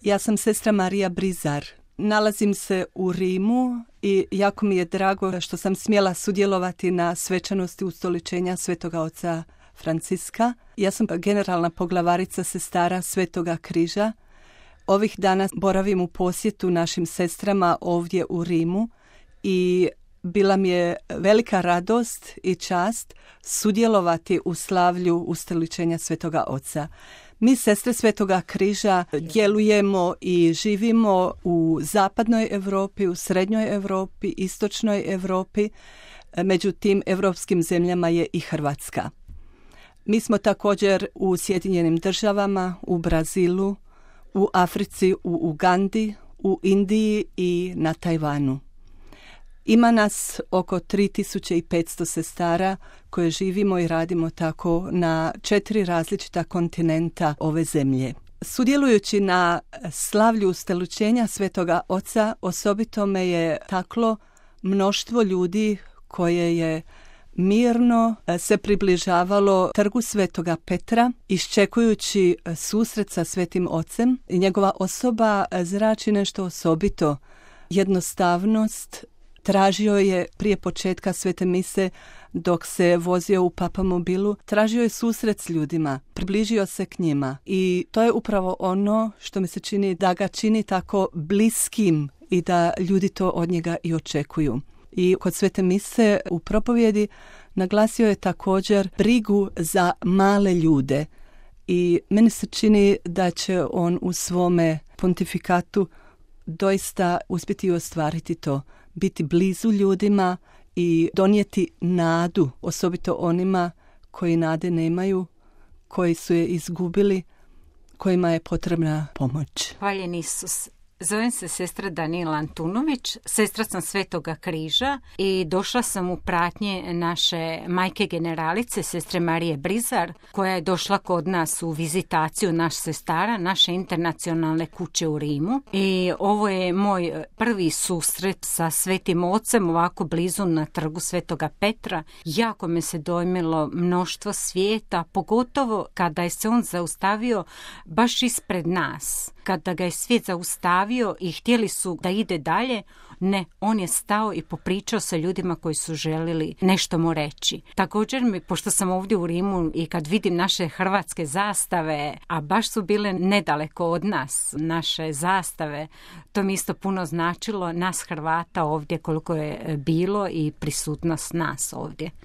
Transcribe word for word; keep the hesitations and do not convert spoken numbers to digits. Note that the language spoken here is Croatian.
Ja sam sestra Marija Brizar. Nalazim se u Rimu i jako mi je drago što sam smjela sudjelovati na svečanosti ustoličenja Svetoga oca Franciska. Ja sam generalna poglavarica sestara Svetoga križa. Ovih dana boravim u posjetu našim sestrama ovdje u Rimu i bila mi je velika radost i čast sudjelovati u slavlju ustoličenja Svetoga oca. Mi, sestre Svetoga križa, djelujemo i živimo u zapadnoj Europi, u srednjoj Europi, istočnoj Europi. Među tim europskim zemljama je i Hrvatska. Mi smo također u Sjedinjenim državama, u Brazilu, u Africi, u Ugandi, u Indiji i na Tajvanu. Ima nas oko tri tisuće petsto sestara koje živimo i radimo tako na četiri različita kontinenta ove zemlje. Sudjelujući na slavlju ustoličenja Svetoga oca, osobito me je taklo mnoštvo ljudi koje je mirno se približavalo trgu Svetoga Petra, iščekujući susret sa Svetim ocem. I njegova osoba zrači nešto osobito, jednostavnost. Tražio je prije početka svete mise, dok se vozio u papamobilu, tražio je susret s ljudima, približio se k njima. I to je upravo ono što mi se čini da ga čini tako bliskim i da ljudi to od njega i očekuju. I kod svete mise u propovjedi naglasio je također brigu za male ljude. I meni se čini da će on u svome pontifikatu doista uspjeti ostvariti to. Biti blizu ljudima i donijeti nadu, osobito onima koji nade nemaju, koji su je izgubili, kojima je potrebna pomoć. Hvaljen Isus. Zovem se sestra Danila Antunović, sestra sam Svetoga križa i došla sam u pratnje naše majke generalice, sestre Marije Brizar, koja je došla kod nas u vizitaciju naš sestara, naše internacionalne kuće u Rimu. I ovo je moj prvi susret sa Svetim ocem, ovako blizu na trgu Svetoga Petra. Jako me se dojmilo mnoštvo svijeta, pogotovo kada je se on zaustavio baš ispred nas. Kada ga je svijet zaustavio i htjeli su da ide dalje, ne, on je stao i popričao sa ljudima koji su želili nešto mu reći. Također mi, pošto sam ovdje u Rimu i kad vidim naše hrvatske zastave, a baš su bile nedaleko od nas, naše zastave, to mi isto puno značilo, nas Hrvata ovdje koliko je bilo i prisutnost nas ovdje.